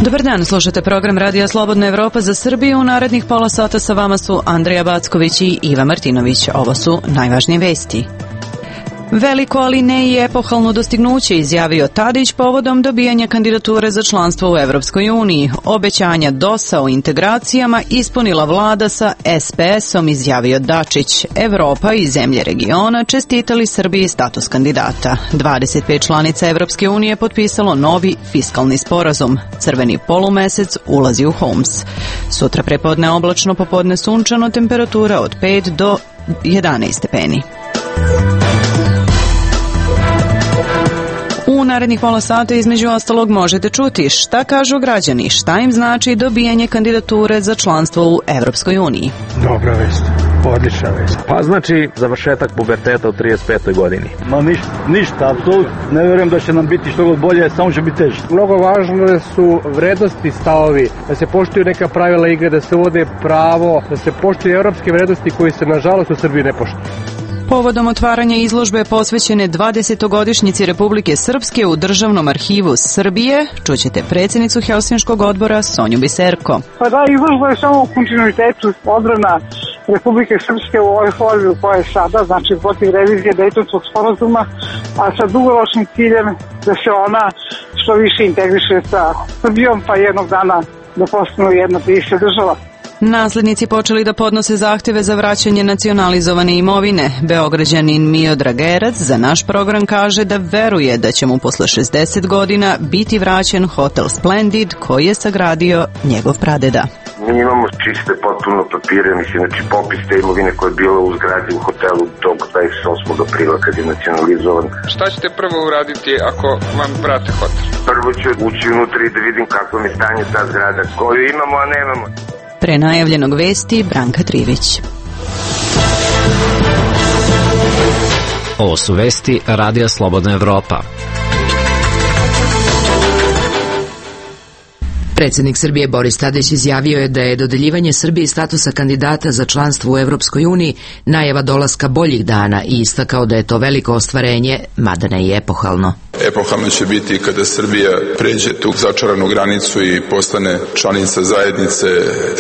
Dobar dan, slušate program Radija Slobodna Evropa za Srbiju. U narednih pola sata sa vama su Andrija Backović i Iva Martinović. Ovo su najvažnije vesti. Veliko, ali ne i epohalno dostignuće, izjavio Tadić povodom dobijanja kandidature za članstvo u Evropskoj uniji. Obećanja DOS-a o integracijama ispunila vlada sa SPS-om, izjavio Dačić. Evropa i zemlje regiona čestitali Srbiji status kandidata. 25 članica Evropske unije potpisalo novi fiskalni sporazum. Crveni polumesec ulazi u Homs. Sutra prepodne oblačno, popodne sunčano, temperatura od 5 do 11 stepeni. U narednih pola sata između ostalog možete čuti šta kažu građani, šta im znači dobijanje kandidature za članstvo u Evropskoj uniji. Dobra vest, odlična vest. Pa znači završetak puberteta u 35. godini. Ma ništa, apsolutno. Ne verujem da će nam biti što god bolje, samo će biti teže. Mnogo važno su vrednosti, stavovi, da se poštuju neka pravila igre, da se uvode pravo, da se poštuju evropske vrednosti koji se nažalost u Srbiji ne poštuju. Povodom otvaranja izložbe posvećene 20-godišnjici Republike Srpske u Državnom arhivu Srbije, čućete predsjednicu Helsinškog odbora Sonju Biserko. Pa da, izložba je samo u kontinuitetu odbrana Republike Srpske u ovoj formi u kojoj je sada, znači protiv revizije Dejtonskog sporazuma, a sa dugoročnim ciljem da se ona što više integriše sa Srbijom, pa jednog dana da postanu jedna bivša država. Naslednici počeli da podnose zahteve za vraćanje nacionalizovane imovine. Beograđanin Miodrag Gerac za naš program kaže da veruje da će mu posle 60 godina biti vraćen hotel Splendid koji je sagradio njegov pradeda. Mi imamo čiste potpuno papire, znači popis te imovine koja je bila u zgradi u hotelu tog 28. aprila kad je nacionalizovan. Šta ćete prvo uraditi ako vam vrate hotel? Prvo ću ući unutra i da vidim kako mi stanje ta zgrada, koju imamo, a nemamo. Pre najavljenog vesti Branka Trivić. Ovo su vesti Radija Slobodna Evropa. Predsjednik Srbije Boris Tadić izjavio je da je dodeljivanje Srbiji statusa kandidata za članstvo u Evropskoj uniji najava dolaska boljih dana i istakao da je to veliko ostvarenje, mada ne i epohalno. Epohalno će biti kada Srbija pređe tu začaranu granicu i postane članica zajednice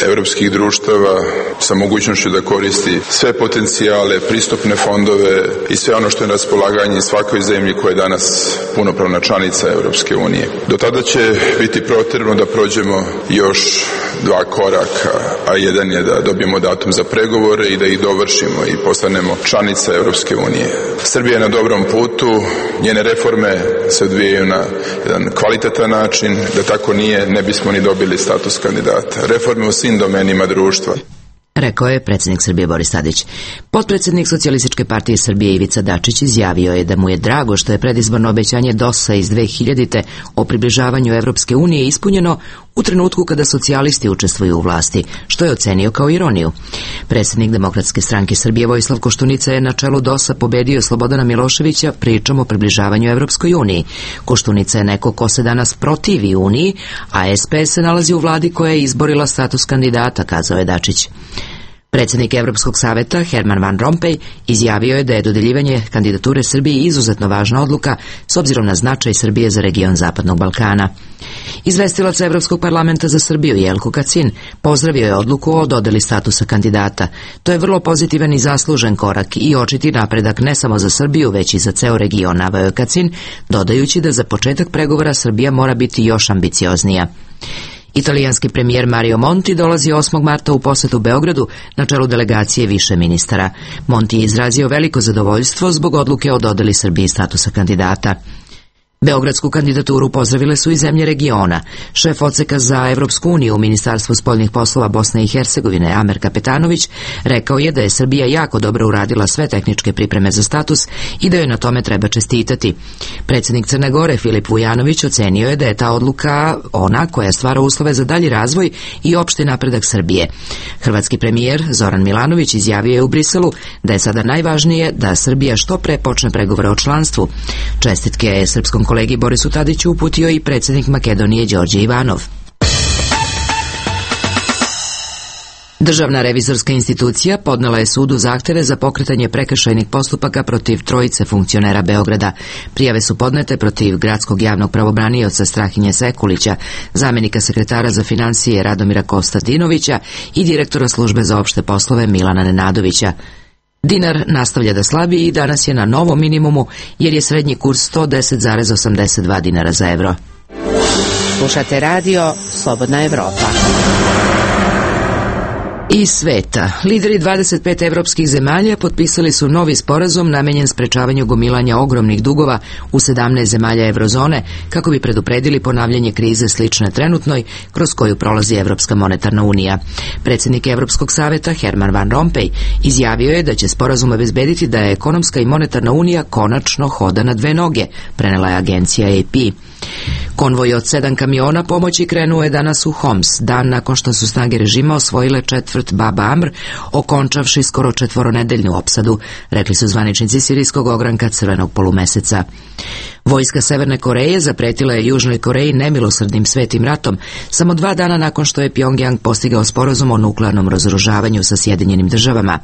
evropskih društava sa mogućnošću da koristi sve potencijale, pristupne fondove i sve ono što je na raspolaganju svakoj zemlji koja je danas punopravna članica Evropske unije. Do tada će biti potrebno da prođemo još 2 koraka, a jedan je da dobijemo datum za pregovore i da ih dovršimo i postanemo članica Evropske unije. Srbija je na dobrom putu, njene reforme se odvijaju na jedan kvalitetan način, da tako nije ne bismo ni dobili status kandidata. Reforme u svim domenima društva. Rekao je predsjednik Srbije Boris Tadić. Potpredsjednik Socijalističke partije Srbije Ivica Dačić izjavio je da mu je drago što je predizborno obećanje DOS-a iz 2000. o približavanju Evropske unije ispunjeno u trenutku kada socijalisti učestvuju u vlasti, što je ocenio kao ironiju. Predsjednik Demokratske stranke Srbije Vojislav Koštunica je na čelu DOS-a pobedio Slobodana Miloševića pričom o približavanju Evropskoj uniji. Koštunica je neko ko se danas protivi uniji, a SPS se nalazi u vladi koja je izborila status kandidata, kazao je Dačić. Predsjednik Evropskog saveta Herman Van Rompuy izjavio je da je dodeljivanje kandidature Srbiji izuzetno važna odluka s obzirom na značaj Srbije za region Zapadnog Balkana. Izvestilac Evropskog parlamenta za Srbiju Jelko Kacin pozdravio je odluku o dodeli statusa kandidata. To je vrlo pozitivan i zaslužen korak i očiti napredak ne samo za Srbiju, već i za ceo region, naveo je Kacin, dodajući da za početak pregovora Srbija mora biti još ambicioznija. Italijanski premijer Mario Monti dolazi 8. marta u posetu Beogradu na čelu delegacije više ministara. Monti je izrazio veliko zadovoljstvo zbog odluke o dodeli Srbiji statusa kandidata. Beogradsku kandidaturu pozdravile su i zemlje regiona. Šef odseka za Evropsku uniju u Ministarstvu spoljnih poslova Bosne i Hercegovine Amer Kapetanović rekao je da je Srbija jako dobro uradila sve tehničke pripreme za status i da joj na tome treba čestitati. Predsjednik Crne Gore Filip Vujanović ocenio je da je ta odluka ona koja stvara uslove za dalji razvoj i opšti napredak Srbije. Hrvatski premijer Zoran Milanović izjavio je u Briselu da je sada najvažnije da Srbija što pre počne pregovore o članstvu. Čestitke je srpskom kolegi Borisu Tadiću uputio i predsjednik Makedonije Đorđe Ivanov. Državna revizorska institucija podnela je sudu zahteve za pokretanje prekršajnih postupaka protiv trojice funkcionera Beograda. Prijave su podnete protiv gradskog javnog pravobranioca Strahinje Sekulića, zamenika sekretara za finansije Radomira Konstantinovića i direktora službe za opšte poslove Milana Nenadovića. Dinar nastavlja da slabi i danas je na novom minimumu jer je srednji kurs 110,82 dinara za evro. Slušate radio Slobodna Evropa. Iz sveta. Lideri 25 evropskih zemalja potpisali su novi sporazum namenjen sprečavanju gomilanja ogromnih dugova u 17 zemalja eurozone kako bi predupredili ponavljanje krize slične trenutnoj kroz koju prolazi Evropska monetarna unija. Predsjednik Evropskog saveta Herman Van Rompuy izjavio je da će sporazum obezbediti da je ekonomska i monetarna unija konačno hoda na dve noge, prenela je agencija AP. Konvoj od 7 kamiona pomoći krenuo je danas u Homs, dan nakon što su snage režima osvojile četvrt Bab Amr, okončavši skoro 4-nedeljnu opsadu, rekli su zvaničnici sirijskog ogranka Crvenog polumeseca. Vojska Severne Koreje zapretila je Južnoj Koreji nemilosrdnim svetim ratom samo 2 dana nakon što je Pjongjang postigao sporazum o nuklearnom razoružavanju sa Sjedinjenim državama.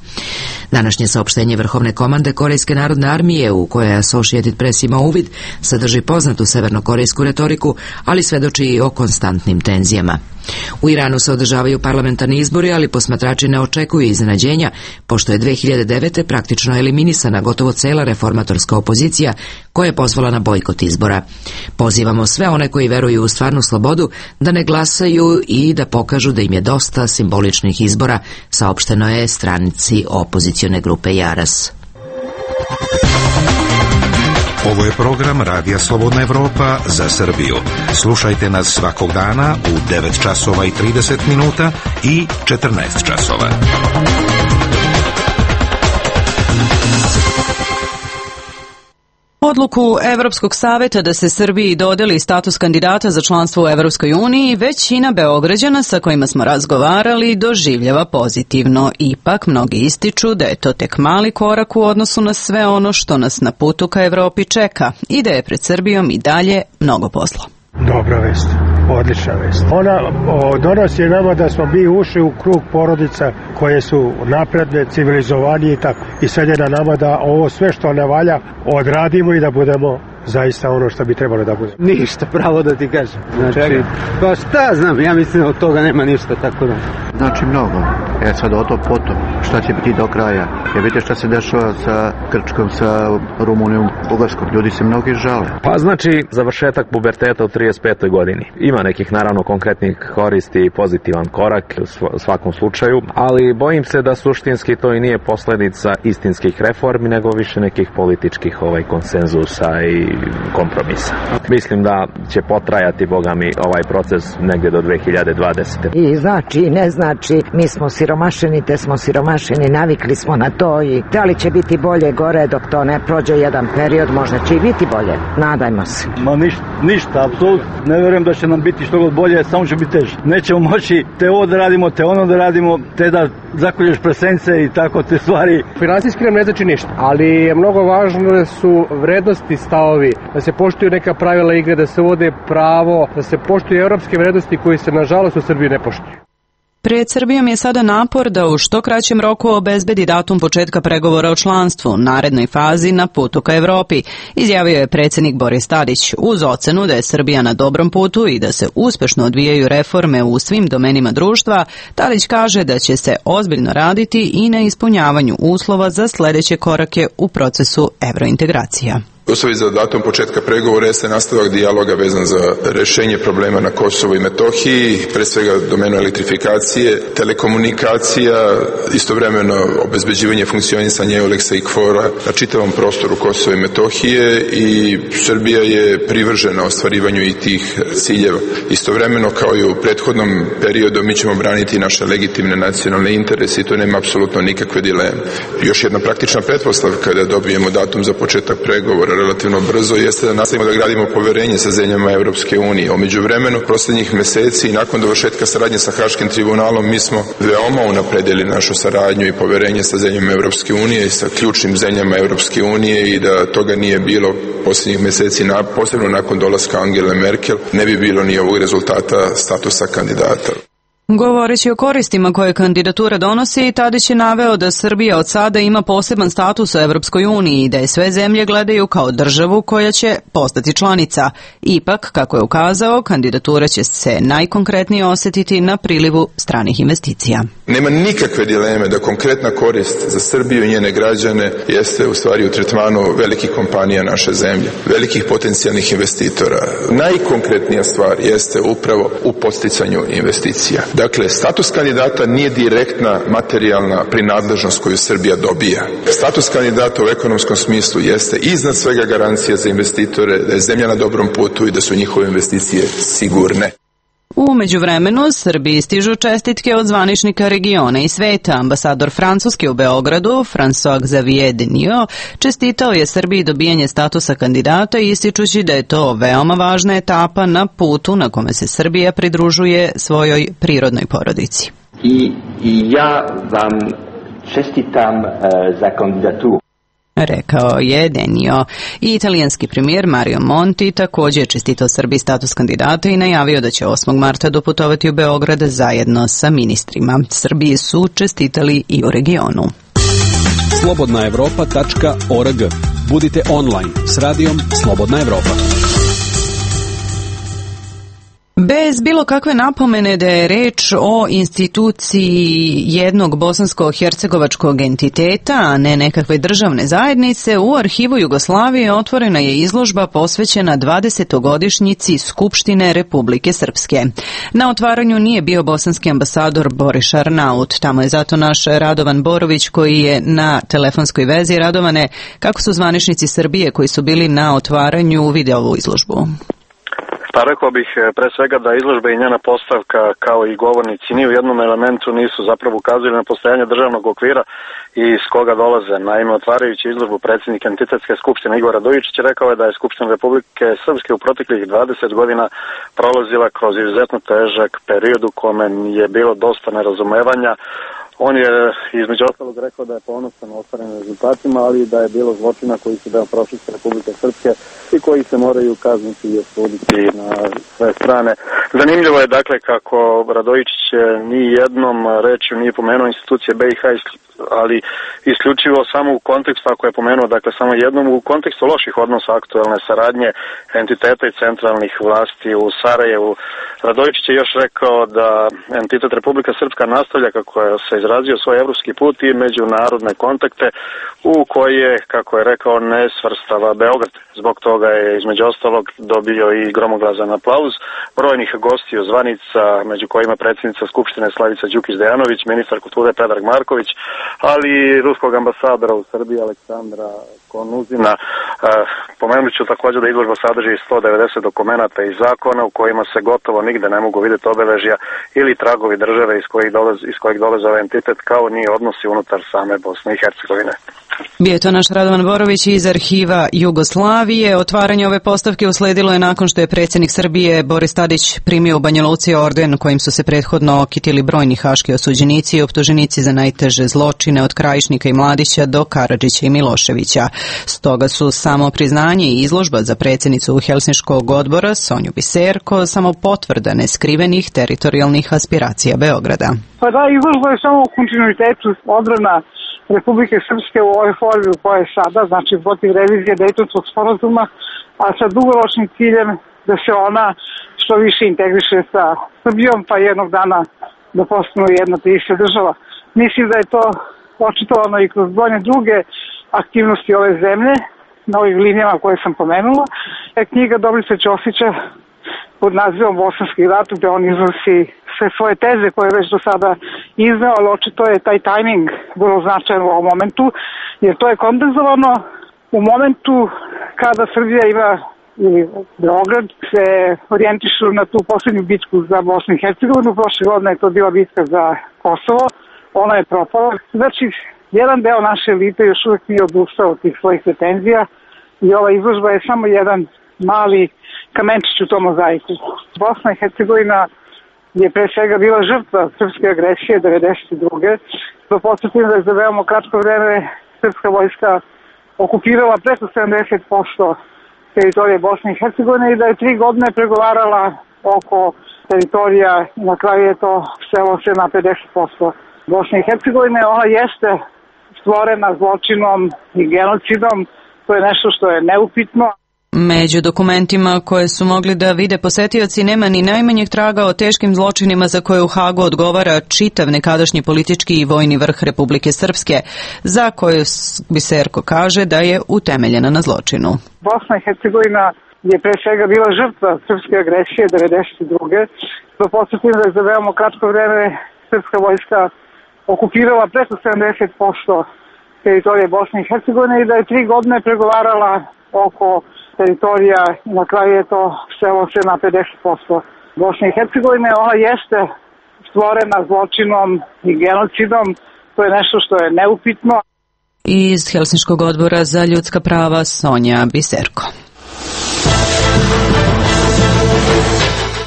Današnje saopštenje Vrhovne komande Korejske narodne armije, u kojoj je Associated Press imao uvid, sadrži poznatu severnokorejsku retoriku, ali svedoči i o konstantnim tenzijama. U Iranu se održavaju parlamentarni izbori, ali posmatrači ne očekuju iznenađenja, pošto je 2009. praktično eliminisana gotovo cela reformatorska opozicija koja je pozvala na bojkot izbora. Pozivamo sve one koji veruju u stvarnu slobodu da ne glasaju i da pokažu da im je dosta simboličnih izbora, saopšteno je stranici opozicione grupe Jaras. Ovo je program Radija Slobodna Evropa za Srbiju. Slušajte nas svakog dana u 9 časova i 30 minuta i 14 časova. Odluku Evropskog saveta da se Srbiji dodeli status kandidata za članstvo u Evropskoj uniji većina Beograđana sa kojima smo razgovarali doživljava pozitivno. Ipak, mnogi ističu da je to tek mali korak u odnosu na sve ono što nas na putu ka Evropi čeka i da je pred Srbijom i dalje mnogo posla. Dobra vest, odlična vest. Ona donosi nama da smo mi ušli u krug porodica koje su napredne, civilizovanije i tako. I sad je na nama da ovo sve što ne valja odradimo i da budemo zaista ono što bi trebalo da bude. Ništa, pravo da ti kažem. Znači, pa šta znam, ja mislim da od toga nema ništa, tako da. Znači mnogo. Sad o to potom. Šta će biti do kraja? Jer vidite šta se dešava sa Grčkom, sa Rumunijom, Bugarskom. Ljudi se mnogi žale. Pa znači završetak puberteta u 35. godini. Ima nekih naravno konkretnih koristi i pozitivan korak u svakom slučaju, ali bojim se da suštinski to i nije posledica istinskih reformi, nego više nekih političkih konsenzusa i kompromisa. Mislim da će potrajati, boga mi, ovaj proces negdje do 2020. I znači, ne znači, mi smo siromašeni, te smo siromašeni, navikli smo na to i da li će biti bolje gore dok to ne prođe jedan period, možda će i biti bolje. Nadajmo se. Ma ništa, apsolutno. Ne vjerujem da će nam biti što god bolje, samo će biti teže. Nećemo moći te ovo da radimo, te ono da radimo, te da zakolješ presence i tako te stvari. Finansijski nam ne znači ništa, ali je mnogo važno da su vrednosti stavovi, da se poštuju neka pravila igre, da se uvode pravo, da se poštuju evropske vrednosti koji se nažalost u Srbiji ne poštuju. Pred Srbijom je sada napor da u što kraćem roku obezbedi datum početka pregovora o članstvu, narednoj fazi na putu ka Evropi, izjavio je predsjednik Boris Tadić, uz ocenu da je Srbija na dobrom putu i da se uspešno odvijaju reforme u svim domenima društva. Tadić kaže da će se ozbiljno raditi i na ispunjavanju uslova za sljedeće korake u procesu evrointegracija. Uslovi za datum početka pregovora jeste nastavak dijaloga vezan za rješenje problema na Kosovu i Metohiji, pre svega domenu elektrifikacije, telekomunikacija, istovremeno obezbeđivanje funkcionisanja EULEX-a i KFOR-a na čitavom prostoru Kosova i Metohije i Srbija je privržena ostvarivanju i tih ciljeva. Istovremeno, kao i u prethodnom periodu, mi ćemo braniti naše legitimne nacionalne interese i to nema apsolutno nikakve dileme. Još jedna praktična pretpostavka da dobijemo datum za početak pregovora relativno brzo jeste da nastavimo da gradimo poverenje sa zemljama Evropske unije. U međuvremenu, posljednjih meseci i nakon dovršetka saradnje sa Haškim tribunalom, mi smo veoma unapredili našu saradnju i poverenje sa zemljama Evropske unije i sa ključnim zemljama Evropske unije i da toga nije bilo posljednjih meseci, posebno nakon dolaska Angele Merkel, ne bi bilo ni ovog rezultata statusa kandidata. Govoreći o koristima koje kandidatura donosi, Tadić je naveo da Srbija od sada ima poseban status u Evropskoj uniji i da je sve zemlje gledaju kao državu koja će postati članica. Ipak, kako je ukazao, kandidatura će se najkonkretnije osetiti na prilivu stranih investicija. Nema nikakve dileme da konkretna korist za Srbiju i njene građane jeste u stvari u tretmanu velikih kompanija naše zemlje, velikih potencijalnih investitora. Najkonkretnija stvar jeste upravo u podsticanju investicija. Dakle, status kandidata nije direktna materijalna prinadležnost koju Srbija dobija. Status kandidata u ekonomskom smislu jeste iznad svega garancija za investitore, da je zemlja na dobrom putu i da su njihove investicije sigurne. U međuvremenu, Srbiji stižu čestitke od zvaničnika regiona i sveta. Ambasador Francuske u Beogradu, François Xavier Denio, čestitao je Srbiji dobijanje statusa kandidata, ističući da je to veoma važna etapa na putu na kome se Srbija pridružuje svojoj prirodnoj porodici. I ja vam čestitam za kandidaturu. Rekao je Denio. I italijanski premijer Mario Monti također je čestitao Srbiji status kandidata i najavio da će 8. marta doputovati u Beograd zajedno sa ministrima. Srbiji su čestitali i u regionu. Slobodnaevropa.org. Budite online s radijom Slobodna Evropa. Bez bilo kakve napomene da je reč o instituciji jednog bosansko-hercegovačkog entiteta, a ne nekakve državne zajednice, u arhivu Jugoslavije otvorena je izložba posvećena 20-godišnjici Skupštine Republike Srpske. Na otvaranju nije bio bosanski ambasador Boris Arnaut, tamo je zato naš Radovan Borović koji je na telefonskoj vezi. Radovane, kako su zvaničnici Srbije koji su bili na otvaranju video ovu izložbu? Pa rekao bih pre svega da izložba i njena postavka kao i govornici ni u jednom elementu nisu zapravo ukazali na postojanje državnog okvira iz koga dolaze. Naime, otvarajući izložbu predsjednik Entitetske skupštine Igor Radojičić rekao je da je Skupština Republike Srpske u proteklih 20 godina prolazila kroz izuzetno težak period u kome je bilo dosta nerazumevanja. On je između ostalog rekao da je ponosan na ostvarenim rezultatima, ali da je bilo zločina koji su deo prošlosti Republike Srpske i koji se moraju kazniti i osuditi na sve strane. Zanimljivo je dakle kako Radojičić ni jednom rečju nije pomenuo institucije BiH, ali isključivo samo u kontekstu, ako je pomenuo dakle samo jednom, u kontekstu loših odnosa aktualne saradnje entiteta i centralnih vlasti u Sarajevu. Radojičić je još rekao da entitet Republika Srpska nastavlja, kako je se izrazio, svoj evropski put i međunarodne kontakte u koje, kako je rekao, ne svrstava Beograd. Zbog toga je između ostalog dobio i gromoglazan aplauz brojnih gostiju zvanica, među kojima predsjednica Skupštine Slavica Đukić-Dejanović, ministar kulture Predrag Marković, ali i ruskog ambasadora u Srbiji Aleksandra Konuzina. Pomenut ću također da izložba sadrži 190 dokumenata i zakona u kojima se gotovo nigde ne mogu vidjeti obeležja ili tragovi države iz kojeg dolaze ovaj entitet, kao ni odnosi unutar same Bosne i Hercegovine. Bio je to naš Radovan Borović iz arhiva Jugoslavije. Otvaranje ove postavke usledilo je nakon što je predsjednik Srbije Boris Tadić primio u Banja Luci orden kojim su se prethodno okitili brojni haški osuđenici i optuženici za najteže zločine od Krajišnika i Mladića do Karadžića i Miloševića. Stoga su samo priznanje i izložba za predsjednicu Helsinškog odbora Sonju Biserko samo potvrda neskrivenih teritorijalnih aspiracija Beograda. Pa da, izložba je samo u kontinuitetu odbrana Republike Srpske u ovoj formi u kojoj je sada, znači protiv revizije Dejtonskog sporazuma, a sa dugoročnim ciljem da se ona što više integriše sa Srbijom, pa jednog dana da postanu jedna te ista država. Mislim da je to očitovano i kroz brojne druge aktivnosti ove zemlje, na ovih linijama koje sam pomenula. Knjiga Dobrice Ćosića pod nazivom Bosanski rat, gde on iznosi sve svoje teze koje je već do sada izneo, ali očito je taj tajming vrlo značajan u ovom momentu, jer to je kondenzovano u momentu kada Srbija ima, ili Beograd, se orijentišu na tu posljednju bitku za Bosnu i Hercegovinu. Prošle godine je to bila bitka za Kosovo, ona je propala. Znači, jedan deo naše elite još uvijek nije odustao od tih svojih pretenzija i ova izložba je samo jedan mali kamenčić u tom mozaiku. Bosna i Hercegovina je pre svega bila žrtva srpske agresije 1992. Da podsjetim da je za veoma kratko vreme srpska vojska okupirala preko 70% teritorije Bosne i Hercegovine i da je 3 godine pregovarala oko teritorija i na kraju je to svelo se na 50% Bosne i Hercegovine. Ona jeste stvorena zločinom i genocidom, to je nešto što je neupitno. Među dokumentima koje su mogli da vide posetioci nema ni najmanjeg traga o teškim zločinima za koje u Hagu odgovara čitav nekadašnji politički i vojni vrh Republike Srpske, za koju Biserko kaže da je utemeljena na zločinu. Bosna i Hercegovina je pre svega bila žrtva srpske agresije 1992. Da podsjetim da je za veoma kratko vreme srpska vojska okupirala preko 70% teritorije Bosne i Hercegovine i da je 3 godine pregovarala oko teritorija i na kraju je to svelo se na 50% Bosne i Hercegovine. Ona jeste stvorena zločinom i genocidom, to je nešto što je neupitno. Iz Helsinškog odbora za ljudska prava Sonja Biserko.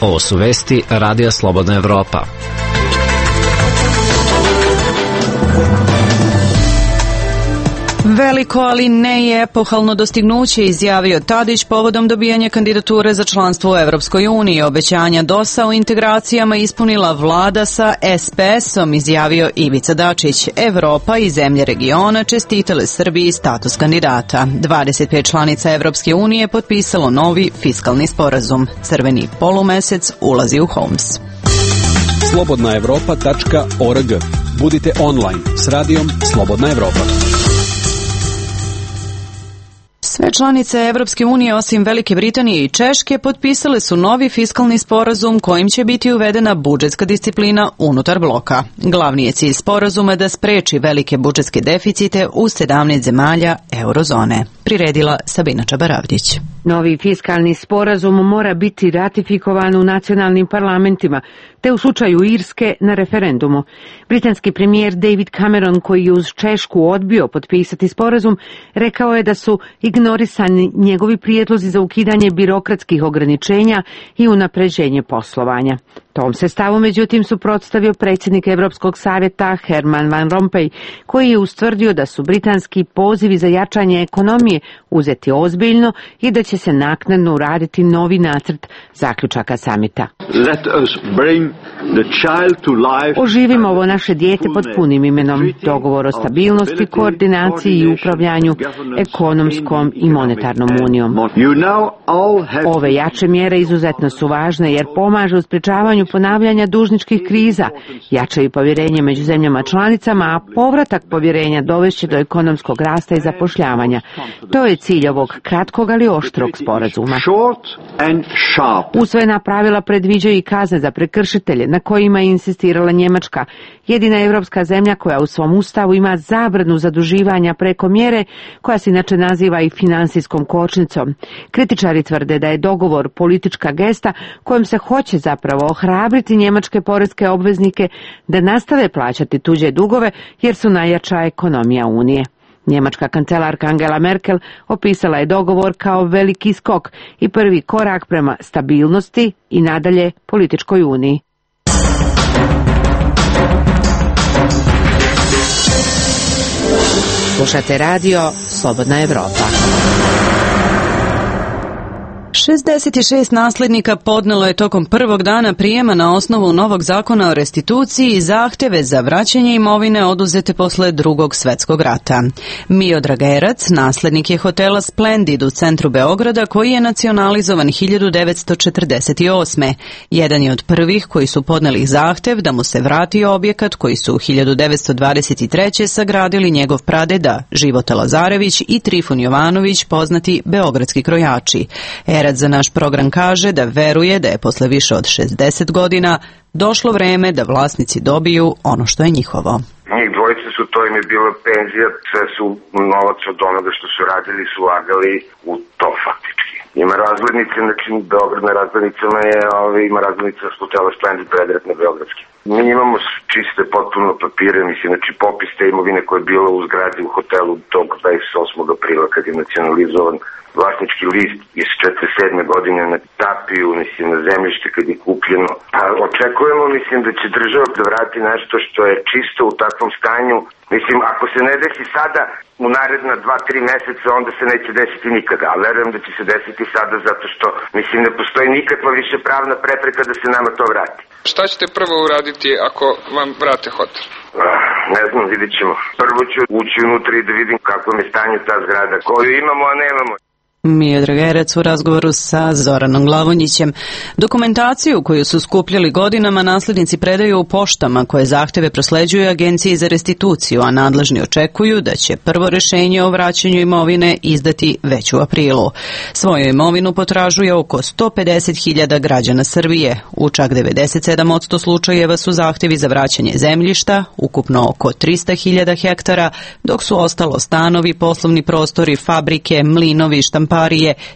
Ovo su vesti Radija Slobodna Evropa. Veliko, ali ne i epohalno dostignuće, izjavio Tadić povodom dobijanja kandidature za članstvo u Evropskoj uniji. Obećanja DOS-a o integracijama ispunila vlada sa SPS-om, izjavio Ivica Dačić. Evropa i zemlje regiona čestitale Srbiji status kandidata. 25 članica Evropske unije potpisalo novi fiskalni sporazum. Crveni polumesec ulazi u Homs. slobodnaevropa.org. Budite online s radijom Slobodna Evropa. Sve članice Evropske unije osim Velike Britanije i Češke potpisale su novi fiskalni sporazum kojim će biti uvedena budžetska disciplina unutar bloka. Glavni je cilj sporazuma da spreči velike budžetske deficite u 17 zemalja eurozone. Priredila Sabina Čabaravdić. Novi fiskalni sporazum mora biti ratifikovan u nacionalnim parlamentima, te u slučaju Irske na referendumu. Britanski premijer David Cameron, koji je uz Češku odbio potpisati sporazum, rekao je da su ignorisani njegovi prijedlozi za ukidanje birokratskih ograničenja i unapređenje poslovanja. Tom se stavu međutim suprotstavio predsjednik Evropskog savjeta Herman Van Rompuy, koji je ustvrdio da su britanski pozivi za jačanje ekonomije uzeti ozbiljno i da će se naknadno uraditi novi nacrt zaključaka samita. Oživimo ovo naše dijete pod punim imenom, dogovor o stabilnosti, koordinaciji i upravljanju ekonomskom i monetarnom unijom. Ove jače mjere izuzetno su važne jer pomažu u sprječavanju ponavljanja dužničkih kriza, jačaju povjerenje među zemljama članicama, a povratak povjerenja dovešće do ekonomskog rasta i zapošljavanja. To je cilj ovog kratkog ali oštrog sporazuma. Usvojena pravila predviđaju i kazne za prekršitelje na kojima je insistirala Njemačka, jedina evropska zemlja koja u svom ustavu ima zabranu zaduživanja preko mjere, koja se inače naziva i finansijskom kočnicom. Kritičari tvrde da je dogovor politička gesta kojom se hoće zapravo ohrabriti njemačke poreske obveznike da nastave plaćati tuđe dugove jer su najjača ekonomija Unije. Njemačka kancelarka Angela Merkel opisala je dogovor kao veliki skok i prvi korak prema stabilnosti i nadalje političkoj uniji. Slušate radio Slobodna Evropa. 66 naslednika podnelo je tokom prvog dana prijema na osnovu novog zakona o restituciji zahtjeve za vraćanje imovine oduzete posle Drugog svjetskog rata. Miodrag Erac, naslednik je hotela Splendid u centru Beograda koji je nacionalizovan 1948. Jedan je od prvih koji su podneli zahtjev da mu se vrati objekat koji su 1923. sagradili njegov pradeda Života Lazarević i Trifun Jovanović, poznati beogradski krojači. Erac za naš program kaže da veruje da je posle više od 60 godina došlo vreme da vlasnici dobiju ono što je njihovo. Njih dvojice su, to im je bila penzija, sve su novac od onoga što su radili, su ulagali u to faktički. Ima razglednice, znači Beograd na razglednicama je, ima razglednica hotela Splendid predrat na beogradski. Mi imamo čiste potpuno papire, mislim, znači popis te imovine koja je bila u zgradi u hotelu tog 28. aprila kad je nacionalizovan vlasnički list iz 47. godine na tapiju, mislim, na zemljište kad je kupljeno. A očekujemo, mislim, da će država da vrati nešto što je čisto u takvom stanju. Mislim, ako se ne desi sada, u naredna 2-3 meseca, onda se neće desiti nikada. A verujem da će se desiti sada zato što, mislim, ne postoji nikakva više pravna prepreka da se nama to vrati. Šta ćete prvo uraditi ako vam vrate hotel? Ne znam, vidit ćemo. Prvo ću ući unutra i da vidim kako je stanje ta zgrada, koju imamo, a nemamo. Miodrag Erec u razgovoru sa Zoranom Glavonjićem. Dokumentaciju koju su skupljali godinama naslednici predaju u poštama koje zahteve prosleđuju Agenciji za restituciju, a nadležni očekuju da će prvo rešenje o vraćanju imovine izdati već u aprilu. Svoju imovinu potražuje oko 150.000 građana Srbije. U čak 97% slučajeva su zahtevi za vraćanje zemljišta, ukupno oko 300.000 hektara, dok su ostalo stanovi, poslovni prostori, fabrike, mlinovi, štamparije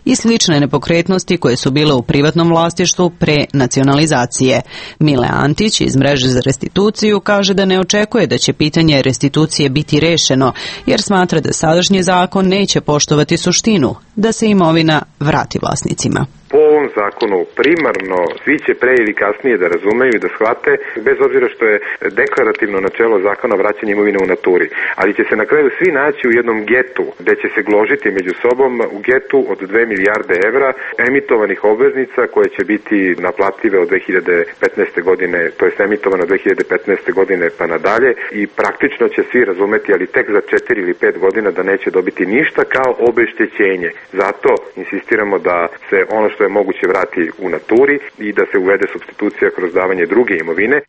i slične nepokretnosti koje su bile u privatnom vlasništvu pre nacionalizacije. Mile Antić iz Mreže za restituciju kaže da ne očekuje da će pitanje restitucije biti rešeno, jer smatra da sadašnji zakon neće poštovati suštinu, da se imovina vrati vlasnicima. Po ovom zakonu primarno svi će pre ili kasnije da razumeju i da shvate, bez obzira što je deklarativno načelo zakona vraćanja imovine u naturi, ali će se na kraju svi naći u jednom getu gde će se gložiti među sobom u getu od 2 milijarde evra emitovanih obveznica koje će biti naplative od 2015. godine, to je emitovano 2015. godine pa nadalje, i praktično će svi razumeti, ali tek za 4 ili 5 godina da neće dobiti ništa kao obeštećenje. Zato insistiramo da se ono što je moguće vrati u naturi i da se uvede supstitucija kroz davanje druge imovine.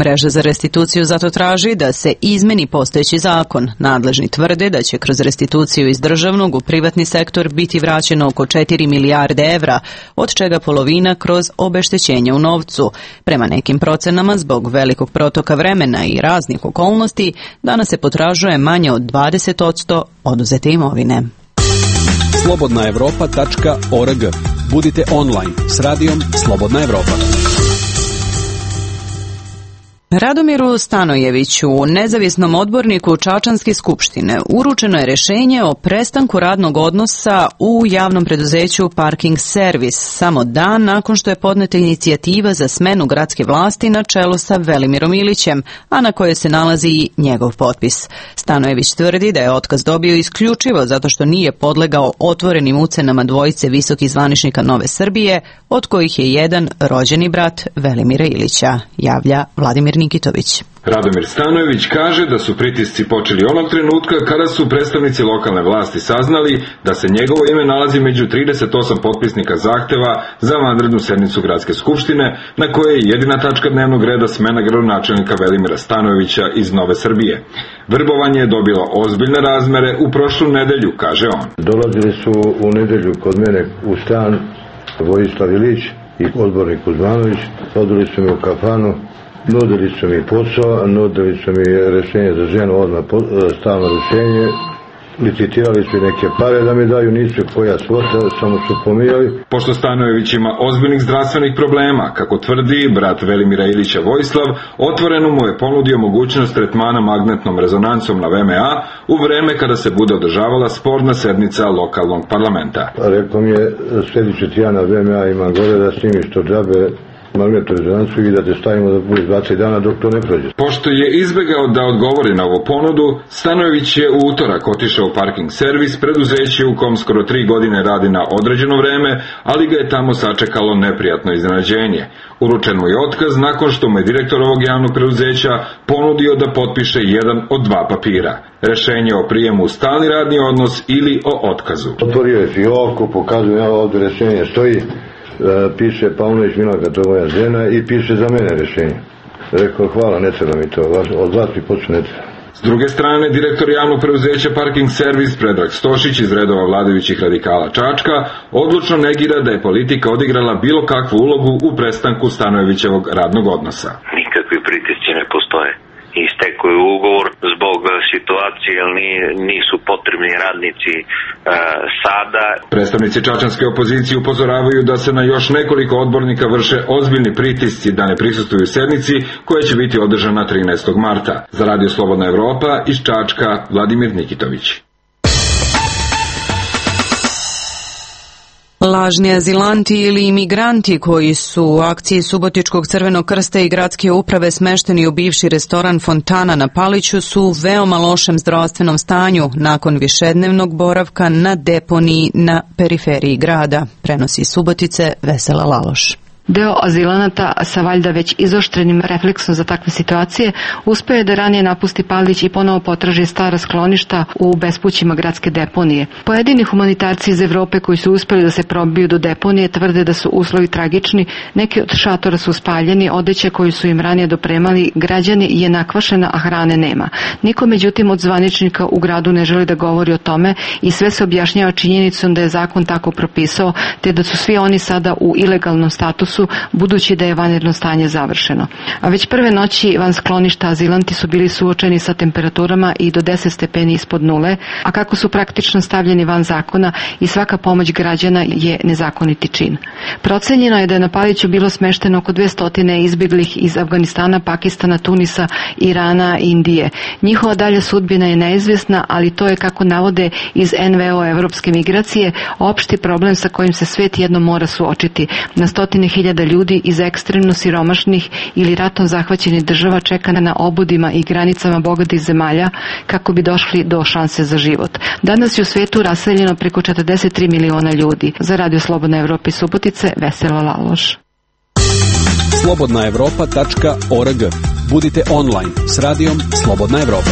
Mreža za restituciju zato traži da se izmeni postojeći zakon. Nadležni tvrde da će kroz restituciju iz državnog u privatni sektor biti vraćeno oko 4 milijarde evra, od čega polovina kroz obeštećenje u novcu. Prema nekim procenama, zbog velikog protoka vremena i raznih okolnosti, danas se potražuje manje od 20% oduzete imovine. slobodnaevropa.org. Budite online s radijom Slobodna Evropa. Radomiru Stanojeviću, nezavisnom odborniku Čačanske skupštine, uručeno je rešenje o prestanku radnog odnosa u javnom preduzeću Parking Servis samo dan nakon što je podneta inicijativa za smenu gradske vlasti na čelu sa Velimirom Ilićem, a na kojoj se nalazi i njegov potpis. Stanojević tvrdi da je otkaz dobio isključivo zato što nije podlegao otvorenim ucenama dvojice visokih zvaničnika Nove Srbije, od kojih je jedan rođeni brat Velimira Ilića, javlja Vladimir Nikitović. Radomir Stanojević kaže da su pritisci počeli onog trenutka kada su predstavnici lokalne vlasti saznali da se njegovo ime nalazi među 38 potpisnika zahteva za vanrednu sednicu Gradske skupštine, na kojoj je jedina tačka dnevnog reda smena gradonačelnika Velimira Stanojevića iz Nove Srbije. Vrbovanje je dobilo ozbiljne razmere u prošlu nedelju, kaže on. Dolazili su u nedelju kod mene u stan Vojislav Ilić i odbornik Kuzmanović, odveli su mi u kafanu, nudili su mi posao, nudili su mi rešenje za ženu, odmah stalno rešenje, licitirali su neke pare da mi daju, nisu koja svota, samo su pomijali. Pošto Stanojević ima ozbiljnih zdravstvenih problema, kako tvrdi brat Velimira Ilića Vojislav, otvoreno mu je ponudio mogućnost tretmana magnetnom rezonancom na VMA u vreme kada se bude održavala sporna sednica lokalnog parlamenta. Rekao mi je, sljedeći tjedan na VMA imam gore da snimiš to džabe, magnetnu rezonancu i da te stavimo da bude 20 dana dok to ne prođe. Pošto je izbegao da odgovori na ovu ponudu, Stanojević je u utorak otišao u Parking Servis, preduzeće u kom skoro 3 godine radi na određeno vreme, ali ga je tamo sačekalo neprijatno iznenađenje. Uručen mu je otkaz nakon što mu je direktor ovog javnog preduzeća ponudio da potpiše jedan od 2 papira. Rešenje o prijemu u stalni radni odnos ili o otkazu. Otvorio je fioku, pokazujem ja ovdje rešenje stoji, piše Paunović Milanka, to je moja žena, i piše za mene rešenje. Rekao, hvala, ne treba mi to, od vas mi počne ne treba. S druge strane, direktor javnog preduzeća Parking Servis Predrag Stošić iz redova vladajućih radikala Čačka odlučno negira da je politika odigrala bilo kakvu ulogu u prestanku Stanojevićevog radnog odnosa. Nikakvi pritisci ne postoje. istekao je ugovor zbog situacije, jer nisu potrebni radnici sada. Predstavnici čačanske opozicije upozoravaju da se na još nekoliko odbornika vrše ozbiljni pritisci da ne prisustvuju sednici koja će biti održana 13. marta. Za Radio Slobodna Evropa iz Čačka Vladimir Nikitović. Lažni azilanti ili imigranti koji su u akciji Subotičkog Crvenog krsta i gradske uprave smešteni u bivši restoran Fontana na Paliću su u veoma lošem zdravstvenom stanju nakon višednevnog boravka na deponiji na periferiji grada, prenosi Subotice Vesela Laloš. Deo azilanata sa valjda već izoštrenim refleksom za takve situacije uspeo je da ranije napusti Palić i ponovo potraži stara skloništa u bespućima gradske deponije. Pojedini humanitarci iz Evrope koji su uspeli da se probiju do deponije tvrde da su uslovi tragični, neki od šatora su spaljeni, odeća koju su im ranije dopremali građani je nakvašena, a hrane nema. Niko međutim od zvaničnika u gradu ne želi da govori o tome i sve se objašnjava činjenicom da je zakon tako propisao, te da su svi oni sada u ilegalnom statusu budući da je vanredno stanje završeno. A već prve noći van skloništa azilanti su bili suočeni sa temperaturama i do 10 stepeni ispod nule, a kako su praktično stavljeni van zakona i svaka pomoć građana je nezakoniti čin. Procenjeno je da je na Paliću bilo smešteno oko 200 izbjeglih iz Afganistana, Pakistana, Tunisa, Irana i Indije. Njihova dalja sudbina je neizvjesna, ali to je, kako navode iz NVO Evropske migracije, opšti problem sa kojim se svet jednom mora suočiti. Na 100.000 ljudi iz ekstremno siromašnih ili ratom zahvaćenih država čeka na obodima i granicama bogatih zemalja kako bi došli do šanse za život. Danas je u svetu raseljeno preko 43 miliona ljudi. Za Radio Slobodna Evropa iz Subotice, Vesela Laloš. slobodnaevropa.org. Budite online s radijom Slobodna Evropa.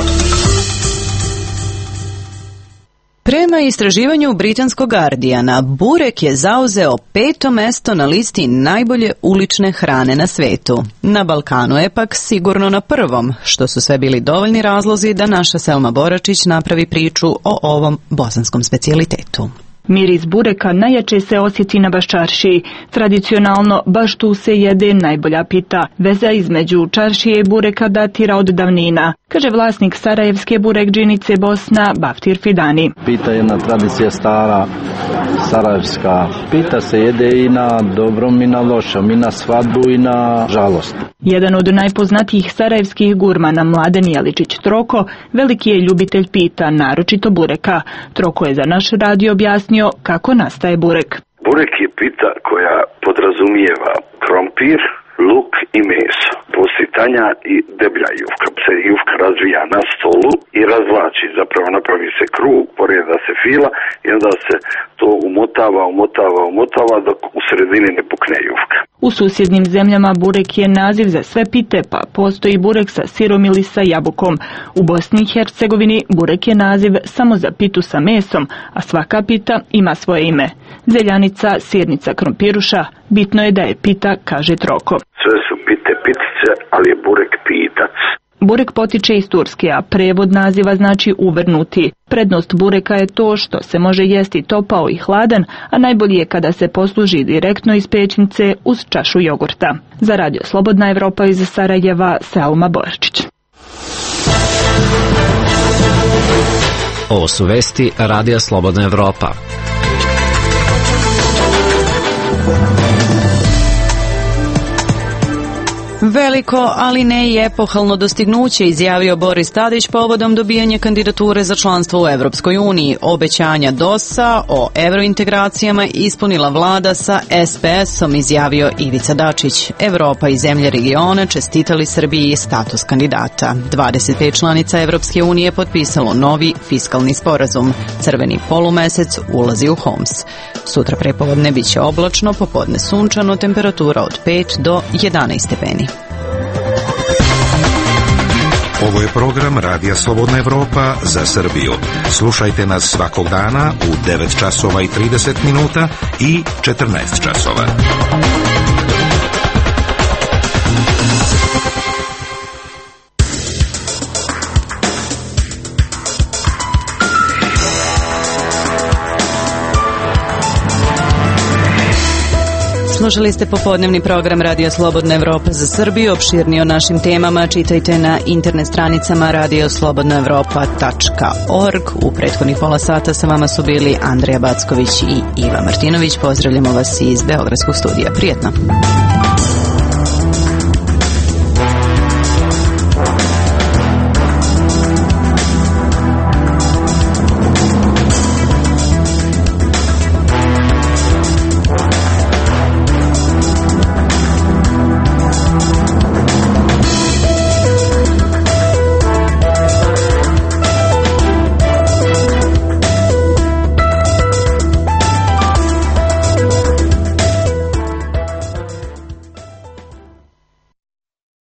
Prema istraživanju britanskog Guardiana, burek je zauzeo 5. mesto na listi najbolje ulične hrane na svetu. Na Balkanu je pak sigurno na prvom, što su sve bili dovoljni razlozi da naša Selma Boračić napravi priču o ovom bosanskom specijalitetu. Miris bureka najjače se osjeti na Baščaršiji. Tradicionalno, baš tu se jede najbolja pita. Veza između čaršije i bureka datira od davnina, kaže vlasnik sarajevske burekdžinice Bosna, Baftir Fidani. Pita je jedna tradicija stara, sarajevska. Pita se jede i na dobrom i na lošom, i na svadbu i na žalost. Jedan od najpoznatijih sarajevskih gurmana, Mladen Jeličić Troko, veliki je ljubitelj pita, naročito bureka. Troko je za naš radio objasnio kako nastaje burek. Burek je pita koja podrazumijeva krompir, luk i meso. Poslije tanja i deblja jufka. Se jufka razvija na stolu i razvlači, zapravo napravi se krug, poreda se fila i onda se to umotava dok u sredini ne pukne jufka. U susjednim zemljama burek je naziv za sve pite, pa postoji burek sa sirom ili sa jabukom. U Bosni i Hercegovini burek je naziv samo za pitu sa mesom, a svaka pita ima svoje ime. Zeljanica, sirnica, krompiruša, bitno je da je pita, kaže Troko. Sve su pite pitice, ali je burek pitac. Burek potiče iz Turske, a prevod naziva znači uvrnuti. Prednost bureka je to što se može jesti topao i hladan, a najbolje je kada se posluži direktno iz pećnice uz čašu jogurta. Za Radio Slobodna Evropa iz Sarajeva, Selma Borčić. Ovo su vesti Radija Slobodna Evropa. Veliko, ali ne i epohalno dostignuće, izjavio Boris Tadić povodom dobijanja kandidature za članstvo u Evropskoj uniji. Obećanja DOS-a o evrointegracijama ispunila vlada sa SPS-om, izjavio Ivica Dačić. Evropa i zemlje regiona čestitali Srbiji status kandidata. 25 članica Evropske unije potpisalo novi fiskalni sporazum. Crveni polumesec ulazi u Homs. Sutra prepodne biće oblačno, popodne sunčano, temperatura od 5 do 11 stepeni. Ovo je program Radija Slobodna Evropa za Srbiju. Slušajte nas svakog dana u 9 časova i 30 minuta i 14 časova. Slušali ste popodnevni program Radio Slobodna Evropa za Srbiju. Opširnije o našim temama čitajte na internet stranicama radioslobodnaevropa.org. U prethodnih pola sata sa vama su bili Andrija Backović i Iva Martinović. Pozdravljamo vas iz Beogradskog studija. Prijetno.